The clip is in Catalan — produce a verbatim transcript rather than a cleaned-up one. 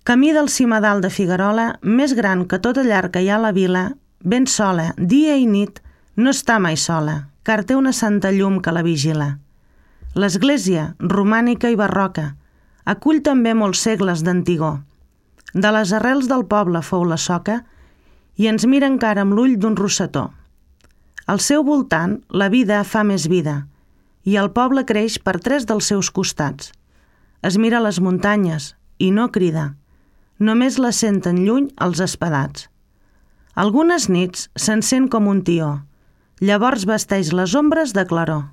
Camí del cimadal de Figuerola, més gran que tota llar que hi ha a la vila, ben sola, dia i nit, no està mai sola, car té una santa llum que la vigila. L'església, romànica i barroca, acull també molts segles d'antigor. De les arrels del poble fou la soca i ens mira encara amb l'ull d'un rosetó. Al seu voltant la vida fa més vida i el poble creix per tres dels seus costats. Es mira les muntanyes i no crida. Només la senten lluny els espadats. Algunes nits s'encén com un tió, llavors vesteix les ombres de claror.